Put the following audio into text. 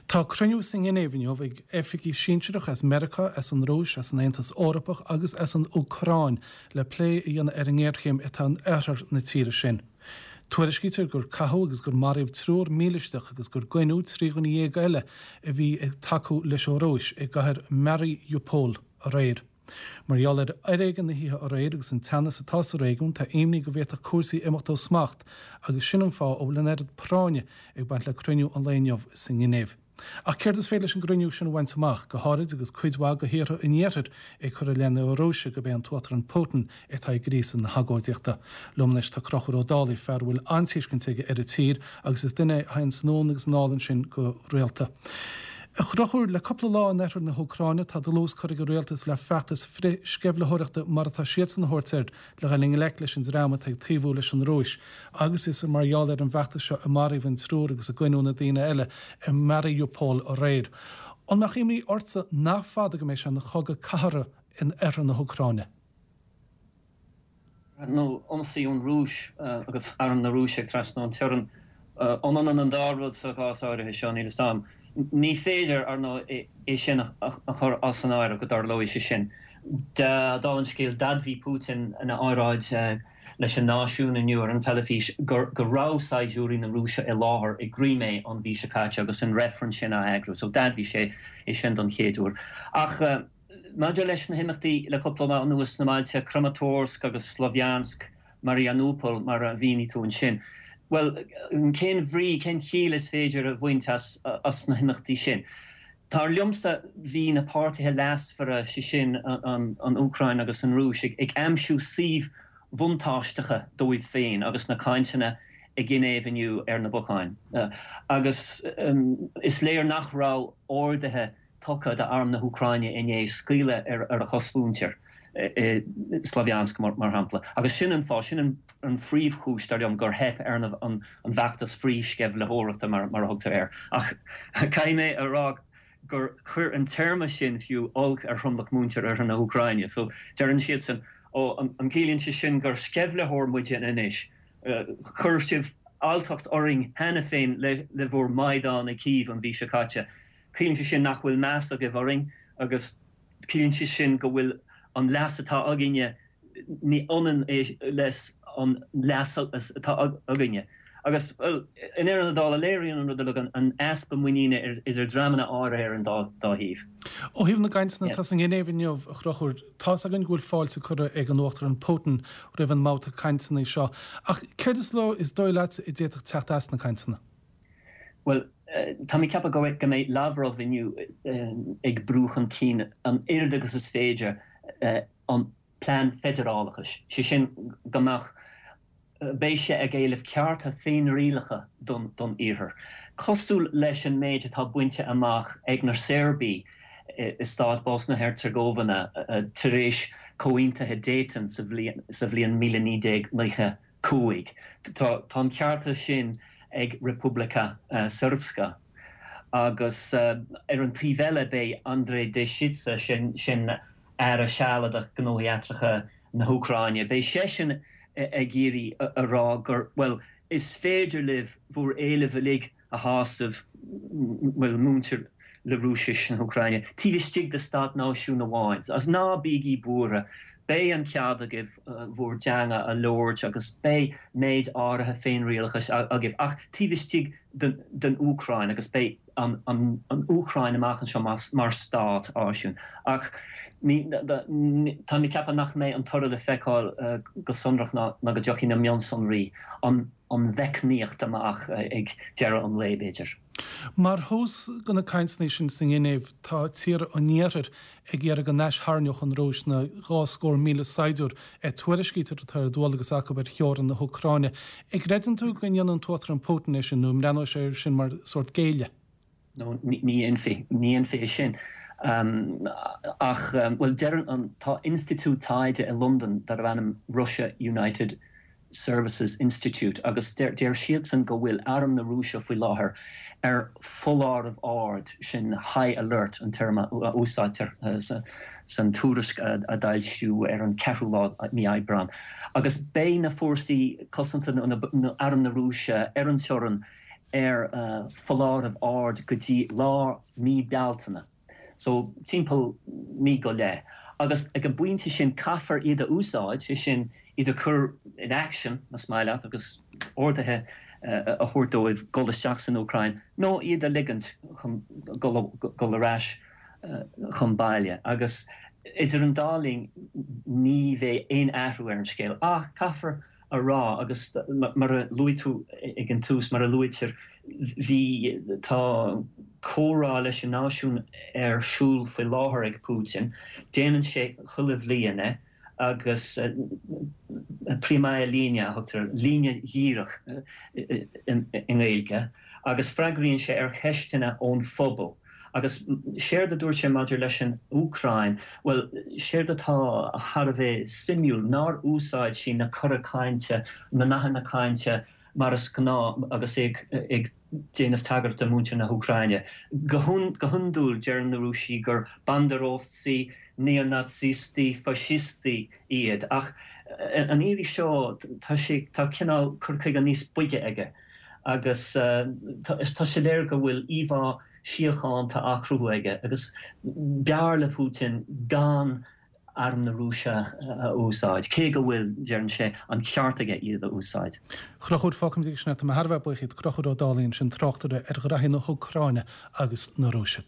Tá cruinniú sa nGinéiv inniu ag oifigigh sinsearacha as Meiriceá, as an Rúis, as an Aontas Eorpach agus as an Úcráin le plé a dhéanamh ar an ngéarchéim atá in oirthear na tíre sin. Tuairiscítear gur caitheadh agus gur maraíodh triúr mílisteach agus gur goineadh 13 dhuine eile a bhí ag tacú leis an Rúis i gcathair Mariupol aréir. Mar gheall ar fhoréigean na hoíche aréir agus an teannas atá sa réigiún, tá imní go bhféadfadh cúrsaí imeacht ó smacht agus sin an fáth a bhfuil an oiread práinne ag baint le cruinniú an lae inniu sa nGinéiv. Ach céard is féidir leis an gcruinniú sin a bhaint amach, go háirid agus cuid mhaith de thíortha an Iarthair ag cur i leith na Rúise gurb é an tUachtarán Putin atá ag gríosadh na hagóidíochta? Liom anois tá Conchúr Ó Dálaigh, fear a bhfuil an-tuiscint aige ar an tír agus is duine é a théanns anonn agus anall ansin go rialta. A Chonchúir, le cúpla lá in oirthear na hÚcráine tá dlús curtha ag an rialtas le feachtas frith-sceimhlitheoireachta mar atá siadsan a thabhairt air le dhul i ngleic leis an dream atá ag taobhú leis an Rúis agus is mar gheall ar an bhfeachtas seo a maraíodh an triúr agus a goineadh na daoine eile i Mariupol aréir. An mbeadh imní ortsa nach fada go mbeidh sé ina chogadh cathartha in oirthear na hÚcráine? nó ionsaí ón Rúis agus arm na Rúise ag trasnú an teorann. An ionann an dá rud sa gcás áirithe seo? Níl 'fhios a'm. Ní féidir, ar ndóigh, é sin a chur as an áireamh, go dtarlóidh sé sin. Dála an scéil, d'admhaigh Putin ina óráid leis an náisiún inniu ar an teilifís go raibh saighdiúirí na Rúise i láthair i gCrimé an mhí seo caite agus an reifreann sin á eagrú. So d'admhaigh sé é sin don chéad uair. Ach. Maidir leis na himeachtaí le cúpla lá anuas sna bailte Kramatorsk agus Slovyansk, Marianupol mar a mhínigh tú ansin, bhuel, cén bhrí, cén chiall is féidir a bhaint as na himeachtaí sin? Dar liomsa, bhí na páirtithe leasmhara, sé sin an Úcráin agus an Rúis, ag aimsiú suímh bhuntáisteacha dóibh féin agus na cainteanna i Ginéiv inniu ar na bacáin. Agus is léir nach raibh orduithe tugtha d'arm na hÚcráine inné scaoileadh ar a chosmhuintir i Slavyansk, mar shampla. Agus sin an fáth, sin an phríomhchúis, dar liom, gur theip ar an bhfeachtas frithsceimhlitheoireachta, mar a thugtar air. Ach caithfidh mé a rá gur chuir an téarma sin fiú olc ar thromlach mhuintir oirthear na hÚcráine. So, deireann siadsan, Ó, an gciallaíonn sé sin gur sceimhlitheoir muide anois? Chuir sibh alltacht orainn cheana féin le bhur Maidan i Kyiv an mhí seo caite. Ciallaíonn sé sin nach bhfuil meas agaibh orainn agus ciallaíonn sé sin go bhfuil an leas atá againne, ní ionann é leis an leas atá againne. Agus, bhuel, i ndeireadh na dála, léiríonn an rud uilig an easpa muiníne idir dreamanna áirithe ar an dá thaobh. Ó thaobh na gcainteanna atá sa nGinéiv inniu, a Chonchúir, tá's againn go bhfuil fáilte curtha ag an Uachtarán Putin roimh an mbabhta cainteanna seo, ach céard is is dóigh leat a d'fhéadfadh teacht as na cainteanna? Bhuel, tá mé ag ceapadh go mbeidh Lavrov inniu ag brú chun cinn an oiread agus is féidir an plean feidearálachais, sé sin go mbeadh, beidh sé ag éileamh cearta féinrialacha don Iarthar, cosúil leis an méid atá bainte amach ag na Seirbiaigh i stát Bosna-Heirteagóivéine tar éis Comhaontaithe Dayton sa bhliain 1995. Tá an cearta sin ag Republika Srpska. Agus ar an taobh eile beidh Andrei Deshitsa, sin Aire Sealadach Gnóthaí Eachtracha na hÚcráine, beidh seisean ag iarraidh a rá gur, bhuel, is féidir libh bhur éilimh uilig a shásamh, bhuel, muintir le Rúisis na hÚcráine, taobh istigh de stát náisiún amháin. Agus ná bígí buartha, beidh an cead agaibh bhur dteanga a labhairt agus beidh méid áirithe féinrialachais agaibh, ach taobh istigh den Úcráin agus beidh an Úcráin amach anseo mar stát náisiún. Ach tá mé ag ceapadh nach mbeidh an toradh le feiceáil go sonrach ná go dtiocfaidh na mionsonraí, an mheicníocht amach ag deireadh an lae, b'fhéidir. Mar thús do na cainteanna sin sa nGinéiv, tá tíortha an Iarthair ag iarraidh go n-aistharraingeodh an Rúis na 200,000 saighdiúir a tuairiscítear atá ar dualgas acu ar theorainn na hÚcráine. An gcreideann tú go ndéanfaidh an tUachtarán Putin é sin nó an mbreathnóidh sé air sin mar sórt géilleadh? No, ní dhéanfaí. Ní dhéanfaí é sin. Ach, bhuel, deireann an, tá institiúid taighde i Londain darbh ainm Russia United Services Institute agus deir siadsan go bhfuil arm na Rúise faoi láthair ar foláireamh ard, sin high alert an téarma a úsáidtear san tuairisc a d'fhoilsíodh ar an ceathrú lá mí Aibreán. Agus beidh na fórsaí cosanta nó arm na Rúise ar an teorainn. ar foláireamh ard go dtí lár mí Bealtaine, so timpeall mí go leith, agus ag an bpointe sin caithfear iad a úsáid, sé sin iad a chur in action, más maith leat, agus orduithe a thabhairt dóibh dul isteach san Úcráin nó iad a ligint chun dul ar ais chun baile. Agus idir an dá linn ní bheidh aon athrú ar an scéal ach caithfear a rá, agus mar a luaigh tú ag an tús, mar a luaitear, bhí, tá comhrá leis an náisiún ar siúl faoi láthair ag Putin, déanann sé chuile bhliain é, agus Pryamaya Liniya a thugtar air, líne dhíreach i nGaeilge, agus freagraíonn sé ar cheisteanna ón phobal. Agus séard a dúirt sé maidir leis an Úcráin, bhuel, séard atá thar a bheith suimiúil, nár úsáid sé na cora cainte, na nathanna cainte mar is gnáth agus é ag déanamh tagairt do mhuintir na hÚcráine. Go hiondúil, deireann na Rúisigh gur banderovtsy, neo-Naitsistí, faisistí iad, ach an iarraidh seo tá sé, tá cineál cur chuige níos boige aige. agus tá sé léir go bhfuil íomhá síochánta á cruthú aige agus b'fhearr le Putin gan arm na Rúise a úsáid, cé go bhfuil, deireann sé, an ceart aige iad a úsáid. A Chonchúir, fágfaimid aige sin é. Tá mé thar a bheith buíoch díot. Conchúr Ó Dálaigh ansin, tráchtaire ar ghraithí na hÚcráine agus na Rúise.